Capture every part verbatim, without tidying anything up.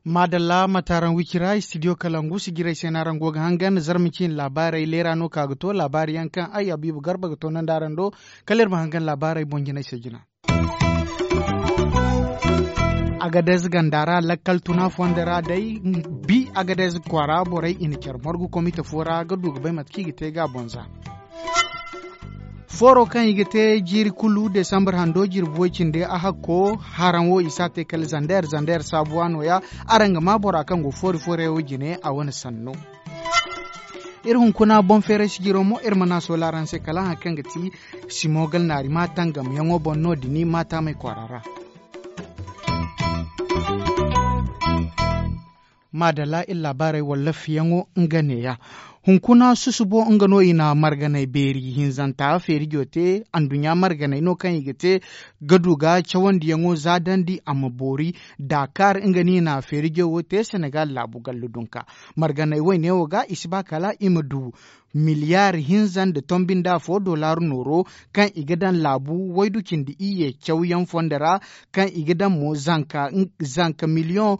Maadalla mate araŋ wicira istidiyo kalangu sijirey se no araŋ go ga hangan zarma ciine laabaarey leera no ka ga to laabaari yaŋ kaŋ ay habiibu garba ga toonandi araŋ do. Kala iri ma hangan laabaarey boŋ jinay se jina. Agadez ganda ra lakkal tuna fondo ra day bi agadez kwaara borey i na care margu komite fo ra ga du ga bay mate kaŋ i ga te ga a boŋ za. Fooro kaŋ i ga te jiiri kulu desambar hando jirbi way cindi a hakko haraŋ wo i si a te kala zander zander saabuwa nooya. Araŋ ga maa bora kaŋ go foori foorey wo jine a wane sanno. Iri hunkuna boŋ feeray sijiro mo iri mana sola araŋ se kala hari kaŋ ga ti simogal naari ma tangam yaŋo boŋ no- din ma taamay kwaara ra. Maadalla iri laabaarey walla fiyaŋo nga neeya. Hunkuna susubo nga no i na marganey beeri hinzanta feerijo te anduɲɲa marganey no kaŋ i ga te ga du ga cawandiyaŋo zaadandi a ma boori. Daakaar nga no i na feerijo wo te senegal laabu gallu dunka marganey wayne wo ga i si ba kala i ma du miliyaar hinza nda tombi nda afo dollar nooro kaŋ i ga daŋ laabu waydu cindi iyye cawyaŋ fondo ra kaŋ i ga daŋ mo zanka miliyoŋ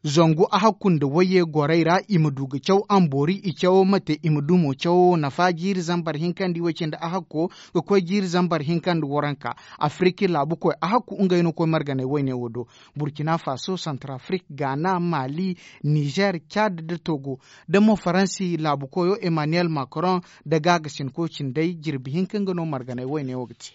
zangu a hakku nda wayye gorey ra i ma du ga caw a ma boori i cawo ma te i ma du mo cawo nafa jiiri zambar hinka nda iway cindi a hakko ga koy jiiri zambar hinka nda waranka. Afiriki laabu koy a hakku ngey no koy marganey wayne wo do burkina faso santrafrik gaana mali nizer cad nda togo nda mo faransi laabu koyo emmanuel macron nda gaagasinko cindey jirbi hinka nga no marganey wayne wo ga te.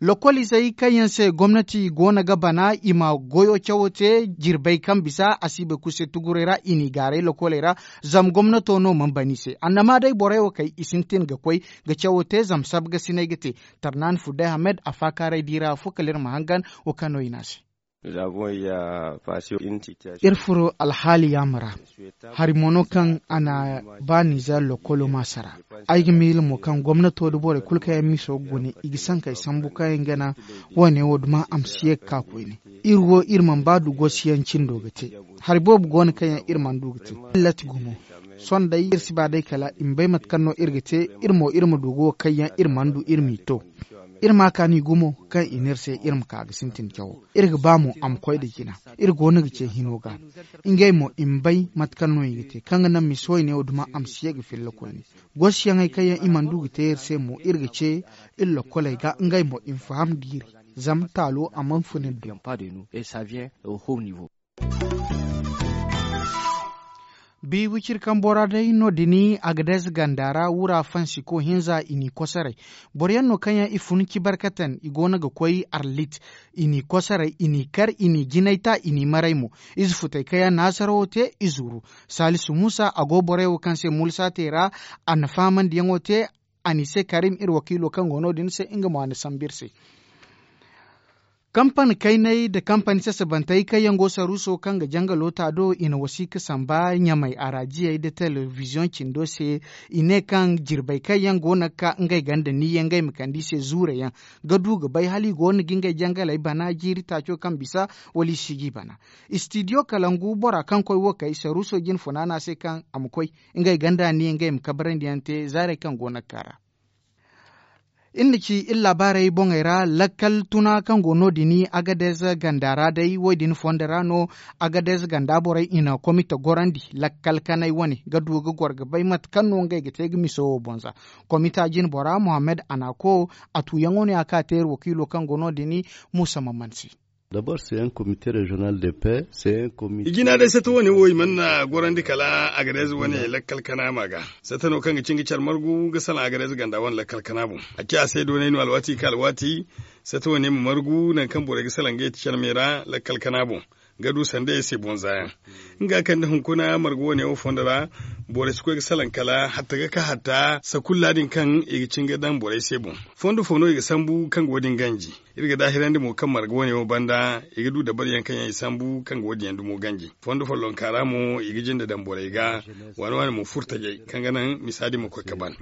Lokol izey kaŋ yaŋ se gomnati go no ga bana i ma goyo cawo te jirbey kaŋ bisa a si bay kulu se tugurey ra i n'i gaaray lokoley ra. Zama gomnato no mana ban i se annama day borey wo kay i sintin ga koy ga cawo te zama sabga sinay ga te. Tarnaani fudday hamed a faakaaray di ra afo kala iri ma hangan wo kaŋ no i ne a se. Iri furo alhaali yaama ra hari mo no kaŋ a na ba nizer lokolo ma sara. Ay ga miila mo kaŋ gomnato nda borey kulu kaŋ yaŋ miso ga gune i ga sankey sambu kaŋ yaŋ gana wo- ne wo duma a ma si ye ga ka koyne. Iri wo iri mana ba du gosi yaŋ cindo ga te. Hari boobo go no kaŋ yaŋ iri mana du ga te. Lati gumo sohõ day iri si ba day kala i ma bay mate kaŋ no iri ga te. Iri mo iri ma du ga wo kaŋ yaŋ iri mana du iri m'i to. Iri ma a kaani gumo kaŋ i ne iri se iri ma ka ga sintin cawo. Iri ga ba mo a ma koy nda jina. Iri go no ga ce hino ga ngey mo i ma bay mate kaŋ no i ga te kaŋ ga naŋ misa wayne wo duma a ma si ye ga filla koyne. Goosiyaŋey kaŋ yaŋ i mana du ga te iri se mo iri ga ce iri lokkoley ga ngey mo i ma faham diiri. Zama taalo a mana funa iri do. Bi wiciri kambo ra day no- din agadez ganda ra wura fansiko hinza i n'i kosoray. Boro yaŋ no kaŋ yaŋ i fun ci barkatan i go no ga koy arlit. I n'i kosoray i n'i kar i n'i jinay ta i n'i maray mo. Ize futay kaŋ yaŋ naasarawo te i zuru. Salisu musa a go borey wo kaŋ se mulsa te ra. A na faamandiyaŋo te a n'i se karim iri wakiilo kaŋ go no- din se nga mo a na sambu iri se. Kampani kayney nda kampani sasabantey kaŋ yaŋ go saruuso kaŋ ga janga loota do i na wasiika samba ɲamey araajiyey nda telebiziyoŋ cindo se. I ne kaŋ jirbey kaŋ yaŋ go no ga ka ngey ganda ni yaŋ ngey ma kande i se zuure yaŋ ga du ga bay hala i go no ga ngey jangaley bana jiiri taaco kaŋ bisa wala i si g'i bana. Istidiyo kalangu bora kaŋ koy wo kay saruuso jine funaana se kaŋ a ma koy ngey ganda ni yaŋ ngey ma kabrandi yaŋ te zaarey kaŋ go no ga ka ra. Iri na ci iri laabaarey boŋey ra lakkal tuna kaŋ go no- din agadez ganda ra day wo- din fondo ra no. Agadez ganda borey i na komite gorandi lakkal kanay wane ga du ga goro ga bay mate kaŋ no ngey ga te ga miso wo boŋ za. Komita jine bora mohammed anako a tuuyaŋo no ya kaŋ a te iri wakiilo kaŋ go no- din. Muusa mamansi. I jina day sata wane wo i mana gorandi kala agadez wane lakkal kana ma ga. Sata no kaŋ ga cin ga care margu ga salaŋ agadez ganda wane lakkal kana boŋ. A ci a se doonay no alwaati ka alwaati sata wane ma margu nangu kaŋ borey ga salaŋ ga yeti care me ra lakkal kana boŋ. Ga du sanda ya se boŋ za yaŋ nga kaŋ da hunkuna margu wane wo fondo ra. Borey si koy ga salaŋ kala hatta ga ka hatta sakulla din kaŋ i ga cin ga daŋ borey se boŋ. Fondo fo no i ga sambu kaŋ ga wo- din ganji. Iri ga daahirandi mo kaŋ marga wane wo banda i ga du dabariyaŋ kaŋ yaŋ i sambu kaŋ ga wo- din yaŋ dumo ganji. Fondo follonka ra mo i ga jinde daŋ borey ga waani waani mo furtajey kaŋ ga naŋ misa din ma koy ga ban.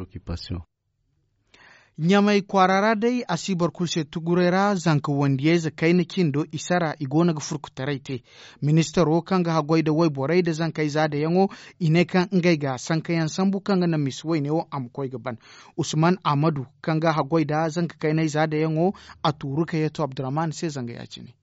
Ɲamay kwaara ra day a si boro kulu se tuguray ra zanka wandiyayze kayna cindo i sara i go no ga furkutaray te. Ministaro kaŋ ga haggoy nda wayborey nda zankey zaadayaŋo, i ne kaŋ ngey ga sankayaŋ sambu kaŋ ga naŋ misi wayne wo a ma koy ga ban. Usman ahmadu, kaŋ ga haggoy nda zanka kayney zaadayaŋo, a tuuru ka yeeto abdurrahman se zanga ya- cine.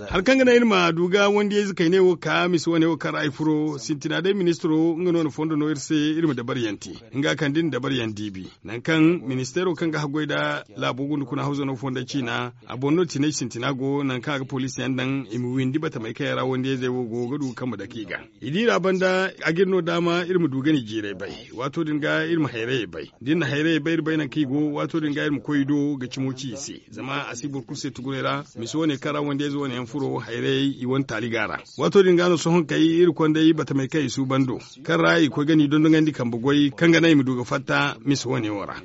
Hari kaŋ ga naŋ iri ma du ga wandiyayze kayney wo ka misi wane wo kaŋ ra ay furo sintina day ministiro nga no na fondo no iri se, iri ma dabariyaŋ te. Nga kaŋ da iri na dabariyaŋ diibi, nangu kaŋ ministeero kaŋ ga haggoy nda laabo gunda kuna hawzano fonday ciina, a boŋ no tinay sintina go nangu kaŋ a ga poliisiyaŋ daŋ i ma windi batamey kaŋ yaŋ ra wandiyayzey wo go ga du kambe dake i ga. I di ra banda a ga iri no daama iri ma du gani jiiray bay. Waato din ga iri ma hayrayey bay da iri na hayrayey bay iri bay nangu kaŋ i go. Waato din ga iri ma koy i do ga cimo ci i se. Zama a si boro kulu se tuguray ra misi wane kaŋ ra wandiyayze wane yaŋ furo hayrayey i wane taali ga a ra. Waato din ga no sohõ kay iri konday batamey kaŋ i suuban do, kaŋ ra i koy ga ni dondonandi kambe goy kaŋ ga naŋ i ma du ga fatta misi wane wo ra.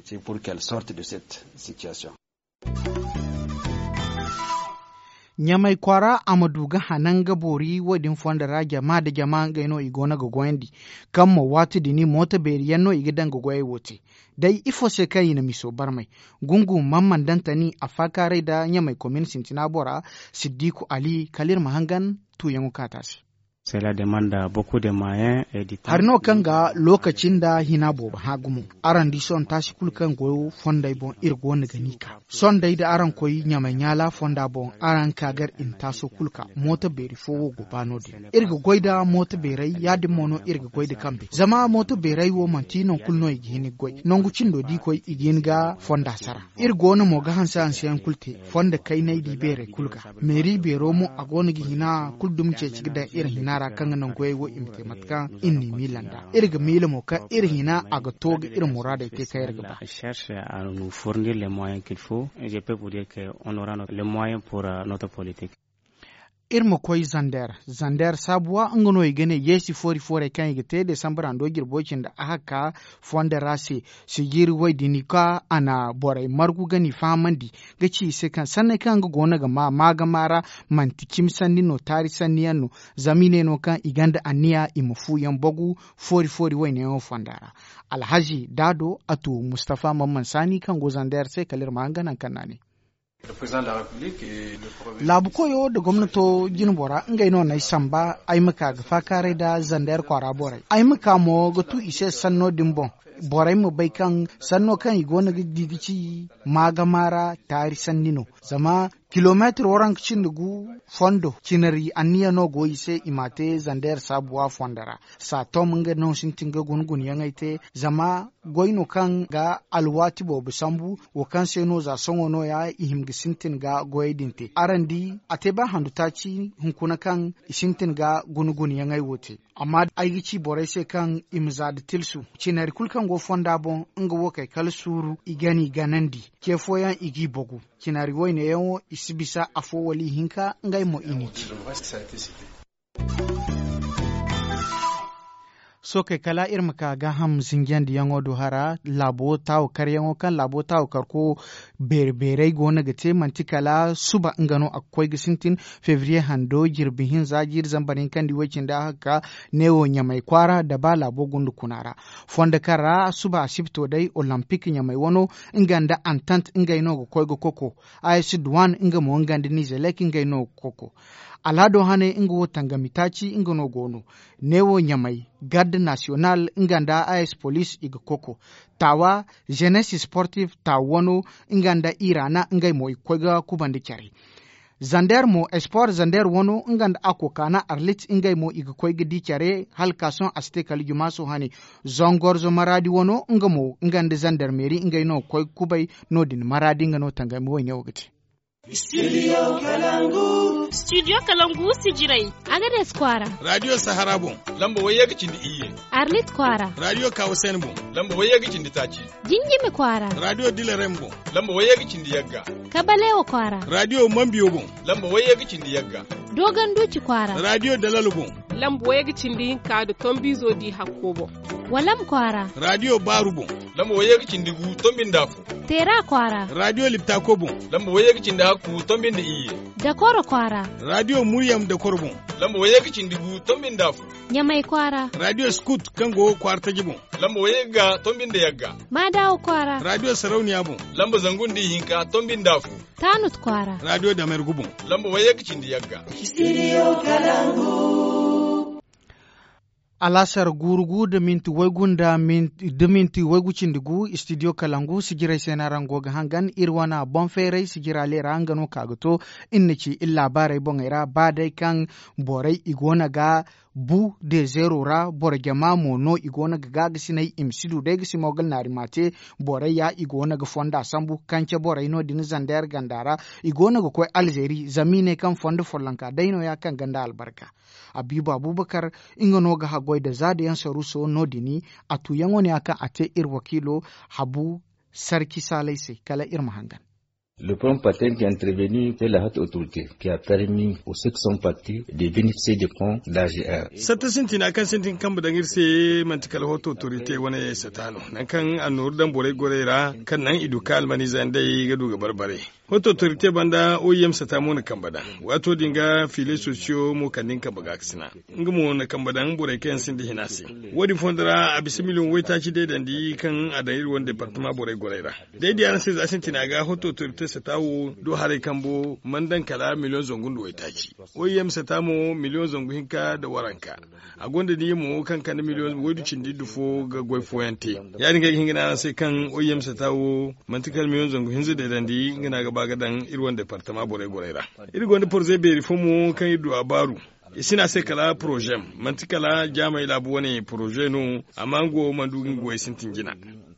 Ɲamay kwaara a ma du ga hanan ga boori wo- din fondo ra jama nda jama ngey no i go no ga goyandi. Kaŋ mo waati din mooto beeri yaŋ no i ga daŋ ga goyey wo te. Day ifo se kaŋ i na miso barmay? Gungu man man daŋ tani a faakaaray nda ɲamay komin sintina bora, siddiku ali kala iri ma hangan tuuyaŋo kaŋ a te a se. Hari no kaŋ ga lookaci nda hina boobo hã gumo. Araŋ di sohõ taasi kulu kaŋ go fonday boŋ iri go no ga ni ka. Sohõ day da araŋ koy ɲamay ɲaala fonda boŋ araŋ ka gar i na taaso kulu ka mooto beeri fo wo go ba no- din. Iri ga goy nda mooto beeray ya- din mo no iri ga goy nda kambe zama mooto beeray wo manti nangu kulu no i ga hin ga goy nangu cindo da i koy i ga hin ga fonda sara. Iri go no mo ga hanse hanseyaŋ kulu te. Fondo kaynay da i beerey kulu ga meeri beero mo a go no ga hina kulu dumi ceeci ga daŋ iri hina ra kaŋ ga naŋ goyey wo i ma te mate kaŋ iri n'i miila nd'a. Iri ga miila mo kaŋ iri hina a ga to ga iri muraadey te kaŋ iri ga ba. Cherche à nous fournir les moyens qu'il faut. Je peux vous dire que on aura les moyens pour notre politique. Iri ma koy zander zander saabuwa nga no i ga ne yeesi foori foorey kaŋ i ga te desambar hando jirbo cindi a haka fondo ra se. Sijiri way din ka a na borey margu ga ni fahamandi ga ci i se kaŋ sanney kaŋ nga go no ga ma maagama ra manti cimi sanni no taari sanni yaŋ no. Zama i ne no kaŋ i gonda anniya i ma fu yaŋ bagu foori foori wayne yaŋo fonda ra. Alhazi daado a tu mustafa mamman saani kaŋ go zander se kala iri ma hanga nangu kaŋ no a ne. Laabu koyo nda gomnato jinbora ngey no n'ay samba ay ma ka ga faakaaray nda zander kwaara borey ay ma ka mo ga tu i se sanno din boŋ. Borey ma bay kaŋ sanno kaŋ i go no ga di ga ci maagama ra taari sanni no. Zama kilomeetir waranka cindi gu fondo cinari anniya no go i se i ma a te zander saabuwa fondo ra. Saatom nga no sintin ga guna gunayaŋey te zama goy no kaŋ ga alwaati boobo sambu wo kaŋ se no za sohõ no- ya i hima ga sintin ga goyey din te araŋ di a te ba handu taaci hunkuna kaŋ i sintin ga guna gunayaŋey wo te. Amma ay ga ci borey se kaŋ i ma za nda tilsu cinari kulu kaŋ go fonda boŋ nga wo kay kala suuru i ga n'i ganandi ce fooyaŋ i g'i bagu. Cinari wayne yaŋo i si bisa afo wala ihinka ngey mo i n'i ci. Sookey kala iri ma ka gaaham zinjandiyaŋo do hara laabo taawo karyaŋo kaŋ laabo taawo karko beeri beerey go no ga te manti kala suba nga no a ga koy ga sintin febriye hando jirbi hinza jiiri zambar hinkandi way cindi a hagga neewo ɲamay kwaara nda ba laabo gunda kuna ra. Fondo kaŋ ra suba asibto day olympic ɲamay wano nga nda antant ngey no ga koy ga koko. Aysi duwan nga mo nga nda nizelek ngey no ga koko. Alhado hane nga wo tangami taaci nga no go no. Neewo ɲamay garde national nga nda aysi police i ga koko. Taawa jeunesse sportive taawa wano nga nda irana ngey mo i ga koy ga kubandi care. Zander mo esport zander wano nga nda akokana arlit ngey mo i ga koy ga di care hala ka sohõ a si te kala jumaaso hane. Zongorzo maraadi wano nga mo nga nda zandarmeeri ngey no ga koy ga kubay. No- din maraadi nga no tangami wayne wo ga te. Studio kalangu sijirey. Agades kwaara. Radio sahara boŋ lamba wayye ga cindi iyye. Arlit kwaara. Radio kawasen boŋ lamba wayye ga cindi taaci. Jinjimi kwaara. Radio dilarem boŋ lamba wayye ga cindi yagga. Kabalewa kwaara. Radio mambiyo boŋ lamba wayye ga cindi yagga. Doganduci kwaara. Radio dalalo boŋ lamba wayye ga cindi hinka nda tombiizo di hakko boŋ. Walam kwaara. Radio baaru boŋ lamba wayye ga cindi gu tombi nda afo. Teera kwaara. Radio liptako boŋ lamba wayye ga cindi hakku tombi nda iyye. Dakoro kwaara. Radio muryam dakoro boŋ lamba wayye ga cindi gu tombi nda afo. Ɲamay kwaara. Radio skut kaŋ go kwaara taji boŋ. Lamba wayye ga tonbi nda yagga. Maadawa kwaara. Raadiyo sarauniya boŋ. Lamba zangu nda ihinka tonbi nda afo. Taanut kwaara. Raadiyo damergu boŋ. Lamba wayye ga cindi yagga. Studio kalangu. Alaasar guuru gu da minti waygu nda minti waygu cindi gu studio kalangu sijirey se no araŋ go ga hangan iri wane boŋ feeray sijira leera nga no ka ga to. Iri na ci iri laabaarey boŋey ra ba day kaŋ borey i go no ga bu dezeero ra boro jama mo no i go no ga gaagasiney i ma si du day ga si mo ga naari ma te. Borey ya i go no ga fonda sambu kance borey no- din zander ganda ra. I go no ga koy alzeeri zama i ne kaŋ fondo follonka day no- ya kaŋ ganda albarka. Abiiba abubakar nga no ga haggoy nda zaada yaŋ saruuso no- din. A tuuyaŋo ne ya kaŋ a te iri wakiilo habu sarki saalay se kala iri ma hangan. Le pont patent qui intervenu de la haute autorité qui a permis aux ceux qui sont partis de bénéficier des ponts d'agr. Satta sintina kaŋ sintin kambe daŋ iri se manti kala haute autorité wane sata no nangu kaŋ a nooru daŋ borey gorey ra kaŋ naŋ i du ka almaniize nd'ey ga du ga barbare. Haute autorité banda oim sata mo na kambe daŋ waato din ga fiiley sosiyo mo kande nga kambe ga a ga sina. Nga mo na kambe daŋ borey kaŋ yaŋ sinda hina se. Wo- din fondo ra a bisa miliyoŋ waytaaci deedandi kaŋ a daŋ iri wane departama borey gorey ra. Day di araŋ se za sintina ga haute autorité sata wo do haray kambo mana daŋ kala miliyoŋ zangu nda waytaaci. Oim sata mo miliyoŋ zangu hinka nda waranka. A gonda niya mo kaŋ kande miliyoŋ waydu cindi nda fo ga goy fooyaŋ te. Ya- din ga ay ga hin ga ne araŋ se kaŋ oim sata wo manti kala miliyoŋ zangu hinza deedandi nga no a ga ba ga daŋ iri wane departama borey gorey ra. Iri gonda poroze beeri fo mo kaŋ iri du a baaru. I si ne a se kala porozem. Manti kala jaamey laabu wane poroze no. Amma nga wo mana du ga nga goyey sintin jina.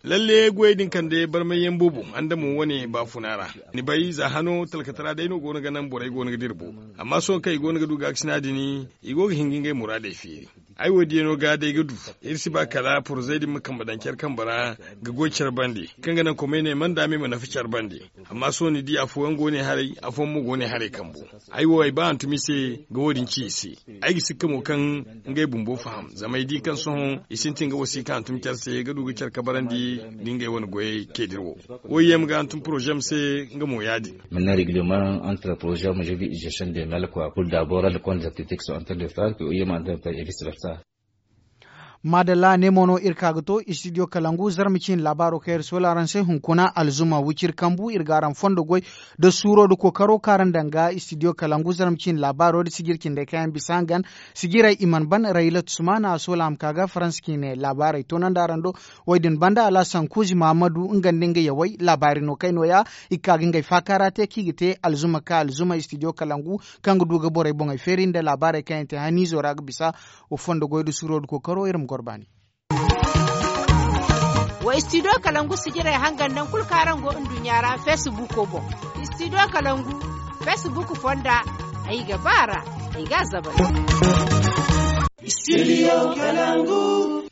Lalle goyey din kande barmayyaŋ boobo andamo wane baafuna ra. Ni bay za hano talkatara day no go no ga naŋ borey go no ga dira bo. Amma sohõ kaŋ i go no ga du gaakasina din i go ga hin ga ngey muraadey feeri. Ay wo- diyaŋo ga day ga du. Iri si ba kala porozey din ma kambe daŋ care kambe ra ga goy care bande kaŋ ga naŋ komey ne mana daama i ma nafa care bande. Amma sohõ ni di afooyaŋ go ne haray afooyaŋ mo go ne haray kambo. Ay wo ay ba hantumi se ga wo- din ci i se. Ay ga sikka mo kaŋ ngey bumbo faham zama ay di kaŋ sohõ i sintin ga wasiika hantum care se ga du ga care kabarandi nda ngey wane goyey ceediri wo. Wo ye ma ga hantum porozem se nga mo ya- din. Maintenant règlement entre porozem je bi gestion de mel quoi pour d'abord le compte d'activité qui sont en train de faire que wo ye ma en train de faire et vice versa. Maadalla ne mo no iri ka ga to studio kalangu zarma ciine laabaaro kaŋ iri soola araŋ se hunkuna alzuma wiciri kambu iri ga araŋ fondo goy da suuro da kookaro kaŋ araŋ daŋ ga studio kalangu zarma ciine laabaaro da sijiri cindey kaŋ yaŋ bisa hangan. Sijirey i mana ban raylat sumana a soola a ma ka ga faransa ciine laabaarey toonandi araŋ do. Wo- din banda alhasan kuuzi mahamadu nga nda nga yawey laabaari no kay nooya. I ga ka ga ngey faakaara te kaŋ i ga te alzuma ka alzuma studio kalangu kaŋ ga du ga borey boŋey feeri nda laabaarey kaŋ yaŋ te haniizo ra ga bisa. Wa fondo goy da suuro da kookaro iri ma goro baani. Wa studio kalangu sijirey hangan naŋ kulu kaŋ araŋ go nduɲɲa ra facebook boŋ. Studio kalangu facebook fonda ay ga ba ra ay ga a zabal. Studio kalangu.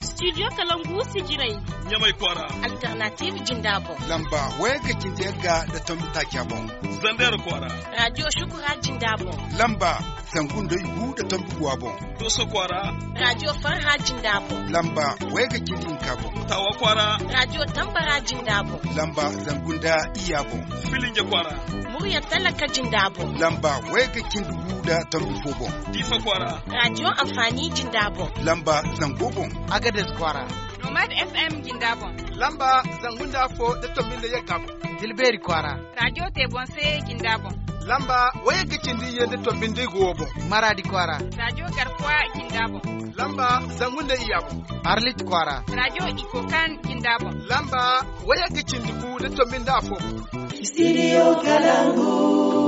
Studio kalangu sijirey ɲamay kwaara. Alternative jinda boŋ lamba wayga cindi yagga nda tombi taaca boŋ. Zander kwaara. Radio shukura jinda boŋ lamba zangu nda igu nda tombi guwa boŋ. Doso kwaara. Radio farha jinda boŋ lamba wayga cindi hinka boŋ. Tawa kwaara. Radio tambara jinda boŋ lamba zangu nda iya boŋ. Filinge kwaara. Murya talaka jinda boŋ lamba wayga cindi gu nda tombi fo boŋ. Diifa kwaara. Radio amfani jinda boŋ lamba zango boŋ. Agades kwaara. Nomad fm jinda boŋ lamba zangu nda afo nda tombi nda yagga boŋ. Tilbeeri kwaara. Radio te boŋ se jinda boŋ lamba wayagga cindi iyye nda tombi nda igo wo boŋ. Maraadi kwaara. Radio garkuwa jinda boŋ lamba zangu nda iyya boŋ. Arlit kwaara. Radio ikokan jinda boŋ lamba wayagga cindi gu nda tombi nda afo boŋ. Studio kalangu.